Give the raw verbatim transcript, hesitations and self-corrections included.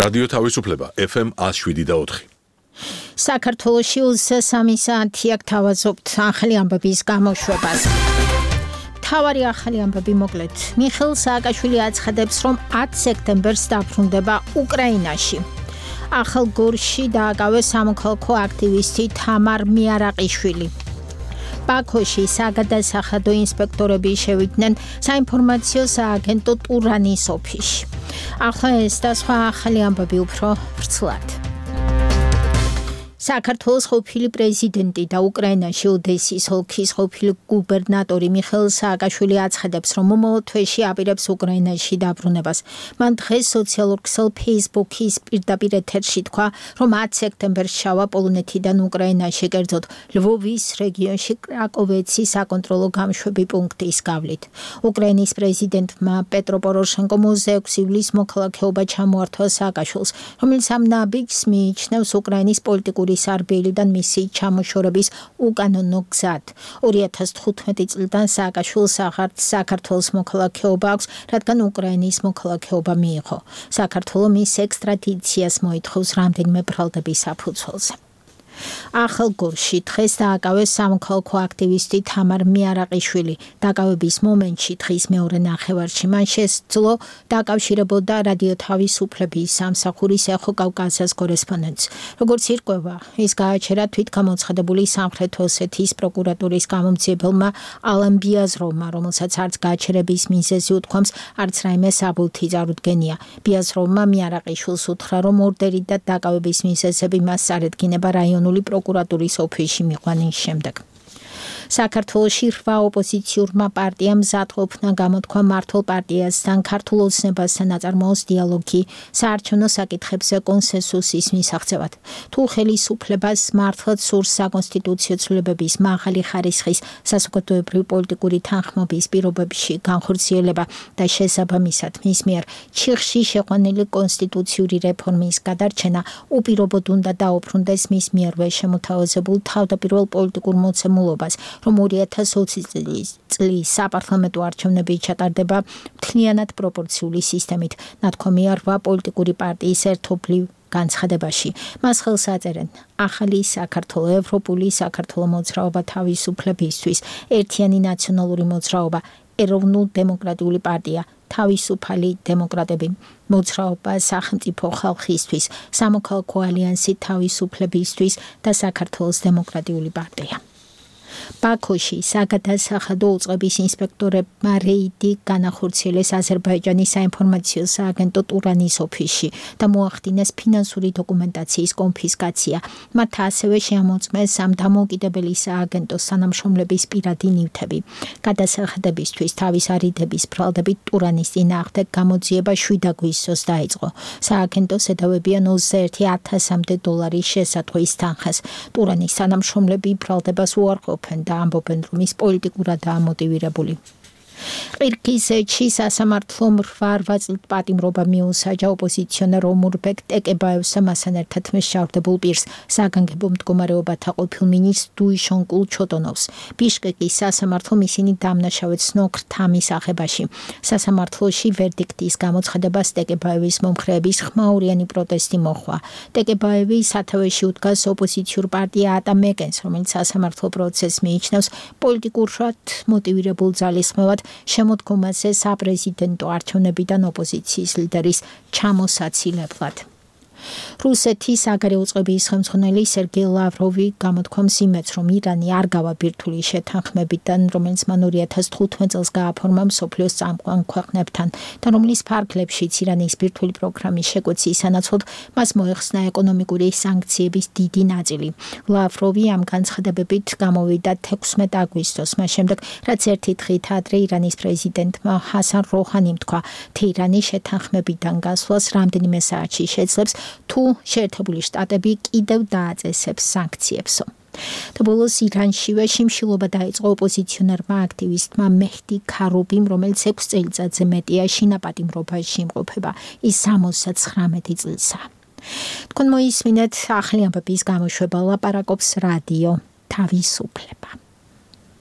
რადიო თავისუფლება F M one oh seven და four. საქართველოში ოცდასამი საათი აქ თავაზობთ ახალი ამბების გამოშვებას. თავარი ახალი ამბები მოკლედ. მიხეილ სააკაშვილი აცხადებს, რომ ათი სექტემბერს დაბრუნდება უკრაინაში. ახალ გორში დააკავეს სამოქალაქო აქტივისტი თამარ მიარაყიშვილი. ბაქოში საგადასახადო ინსპექტორები შევიდნენ საინფორმაციო სააგენტო ტურანის ოფისში. ახლა ეს და სხვა ახალი ამბები უფრო ვრცლად. საქართველოს ყოფილი პრეზიდენტი და უკრაინაში ოდესის ოლქის ყოფილი გუბერნატორი მიხეილ სააკაშვილი აცხადებს, რომ მომავალ თვეში აპირებს უკრაინაში დაბრუნებას. მან დღეს სოციალურ ქსელ Facebook-ის პირდაპირ ეთერში თქვა, რომ ათი სექტემბერს ჩავა პოლონეთიდან უკრაინაში, კერძოდ ლვოვის რეგიონში კრაკოვეცის საკონტროლო გამშვები პუნქტის გავლით. უკრაინის პრეზიდენტმა პეტრო პოროშენკომ ოცდაექვსი ივლისს მოქალაქეობა ჩამოართვა სააკაშვილს, რომელიც ამ ნაბიჯს მიიჩნევს უკრაინის პოლიტიკური სარბიელიდან მისი ჩამოშორების უკანონო გზად. ორი ათას თხუთმეტი წლიდან სააკაშვილს აღარც საქართველოს მოქალაქეობა აქვს, რადგან უკრაინის მოქალაქეობა მიიღო. საქართველო მის ექსტრადიციას მოითხოვს რამდენიმე ბრალდების საფუძველზე. ახალ გორში დღეს დააკავეს სამოქალაქო აქტივისტი თამარ მიარაყიშვილი. დაკავების მომენტში დღის მეორე ნახევარში მან შესძლო დაკავშირებოდა რადიო თავისუფლების სამსახურის ეხო კავკასიის კორესპონდენტს. როგორც ირკვევა, ის გააჩერა თვითგამოცხადებული სამხრეთ ოსეთის პროკურატურის გამომძიებელმა ალან ბიაზროვმა, რომელსაც არც გააჩერების მიზეზი უთქვამს, არც რაიმე საბუთი წარუდგენია. ბიაზროვმა მიარაყიშვილს უთხრა, რომ ორდერი და დაკავების მიზეზები მას წარედგინება რაიონული პროკურატურის ოფისში მიყვანის შემდეგ. საქართველოში რვა ოპოზიციურმა პარტიამ მზადყოფნა გამოთქვა მართლ პარტიასთან ქართულ ოცნებასთან აწარმოოს დიალოგი საარჩევნო საკითხებზე კონსენსუსის მისაღწევად. თუ ხელისუფლებას მართლაც სურს საკონსტიტუციო ცვლილებების მაღალი ხარისხის საზოგადოებრივი პოლიტიკური თანხმობის პირობებში განხორციელება და შესაბამისად მის მიერ ჩიხში შეყვანილი კონსტიტუციური რეფორმის გადარჩენა უპირობოდ უნდა დაუბრუნდეს მის მიერვე შემოთავაზებულ თავდაპირველ პოლიტიკურ მოცემულობას, რომ ორი ათას ოცი წლის საპარლამენტო არჩევნები ჩატარდება მთლიანად პროპორციული სისტემით, ნათქვამია რვა პოლიტიკური პარტიის ერთობლივ განცხადებაში. მას ხელს აწერენ ახალი საქართველო, ევროპული საქართველო მოძრაობა თავისუფლებისთვის, ერთიანი ნაციონალური მოძრაობა, ეროვნულ-დემოკრატიული პარტია, თავისუფალი დემოკრატები, მოძრაობა სახელმწიფო ხალხისთვის, სამოქალაქო ალიანსი თავისუფლებისთვის და საქართველოს დემოკრატიული პარტია. ბაქოში საგადასახადო უწყების ინსპექტორებმა რეიდი განახორციელეს აზერბაიჯანის საინფორმაციო სააგენტო ტურანის ოფისში და მოახდინეს ფინანსური დოკუმენტაციის კონფისკაცია. მათ ასევე შეამოწმეს ამ დამოუკიდებელი სააგენტოს თანამშრომლების პირადი ნივთები. გადასახადებისთვის თავის არიდების ბრალდებით ტურანის წინააღმდეგ გამოძიება შვიდ აგვისტოს დაიწყო. სააგენტოს ედავებიან ოცდაერთი ათასამდე დოლარის შესატყვის თანხას. ტურანის თანამშრომლები ბრალდებას უარყოფენ და ამბობენ, რომ ის პოლიტიკურადაა მოტივირებული. ყირგიზეთში სასამართლომ რვა წლით პატიმრობა მიუსაჯა ოპოზიციონერ ომურბეკ ტეკებაევს და მასთან ერთად მსჯავრდებულ პირს, საგანგებო მდგომარეობათა ყოფილ მინისტრს დუიშონკულ ჩოტონოვს. ბიშკეკის სასამართლომ ისინი დამნაშავედ ცნო ქრთამის აღებაში. სასამართლოში ვერდიქტის გამოცხადებას ტეკებაევის მომხრეების ხმაურიანი პროტესტი მოჰყვა. ტეკებაევი სათავეში უდგას ოპოზიციურ პარტია ატამეკენს, რომელიც სასამართლო პროცესს მიიჩნევს პოლიტიკურად მოტივირებულ ძალისხმევად შემოდგომაზე საპრეზიდენტო არჩევნებიდან ოპოზიციის ლიდერის ჩამოსაცილებლად. რუსეთის საგარეო წყობის ხელმძღვანელი სერგეი ლავროვი გამოთქვამს იმედს, რომ ირანი არ გავა ბირთვული შეთანხმებიდან, რომელიც მან ორი ათას თხუთმეტ წელს გააფორმა მსოფლიოს წამყვან ქვეყნებთან და რომლის ფარგლებშიც ირანის ბირთვული პროგრამის შეკვეცის სანაცვლოდ მას მოეხსნა ეკონომიკური სანქციების დიდი ნაწილი. ლავროვი ამ განცხადებებით გამოვიდა თექვსმეტ აგვისტოს, მას შემდეგ, რაც ერთი დღით ადრე ირანის პრეზიდენტმა ჰასან როჰანიმ თქვა, თეირანის შეთანხმებიდან გასვლას რამდენიმე საათში შეძლებს თუ შეერთებული შტატები კიდევ დააწესებს სანქციებსო. და ბოლოს ირანშივე შიმშილობა დაიწყო ოპოზიციონერმა აქტივისტმა მეჰდი ქარუბიმ, რომელიც ექვს წელიწადზე მეტია შინაპატიმრობაში იმყოფება. ის სამოცდათხრამეტი წლისაა. თქვენ მოისმინეთ ახალი ამბების გამოშვება, ლაპარაკობს რადიო თავისუფლება.